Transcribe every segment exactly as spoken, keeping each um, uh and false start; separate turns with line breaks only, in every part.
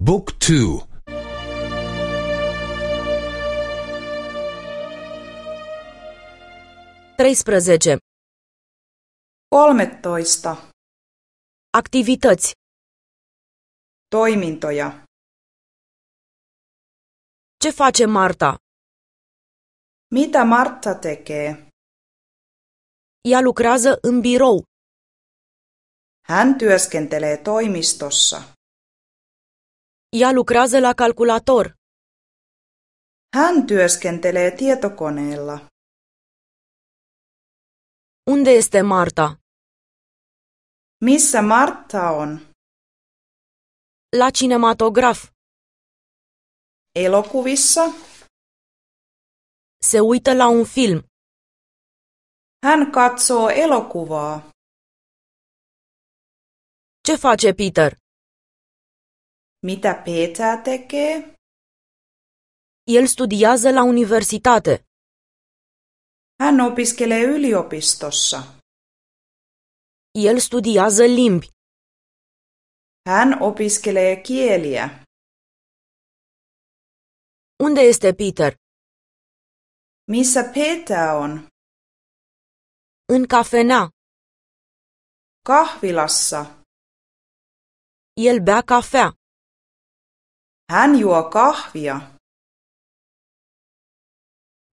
บุ๊กทู
treisprezece.
kolmetoista.
Activități.
Toimintoja.
Ce face Marta?
Mitä Martta tekee?
Ea lucrează în birou.
Hän työskentelee toimistossa.
Ea lucrează la calculator.
Hän työskentelee tietokoneella.
Unde este Marta?
Missä Martta on?
La cinematograf.
Elokuvissa.
Se uită la un film.
Hän katsoo elokuvaa.
Ce face Peter?
Mitä Peter tekee?
El studiază la universitate.
Hän opiskelee yliopistossa.
El studiază limbi.
Hän opiskelee kieliä.
Unde este Peter?
Missä Peter on?
În cafenea.
Kahvilassa.
El bea cafea.
Hän juo kahvia.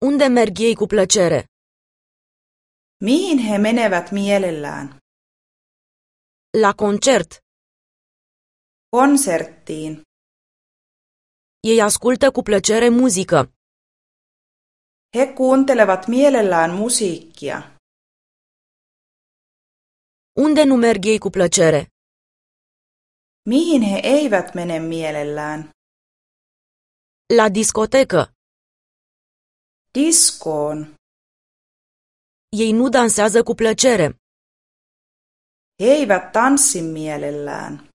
Unde merg ei cu plăcere?
Mihin he menevät mielellään?
La concert.
Konserttiin.
Ei ascultă cu plăcere muzică.
He kuuntelevat mielellään musiikkia.
Unde nu merg ei cu plăcere?
Mihin he eivät mene mielellään?
La discotecă.
Diskoon.
Ei nu dansează cu plăcere.
He eivät tanssi mielellään.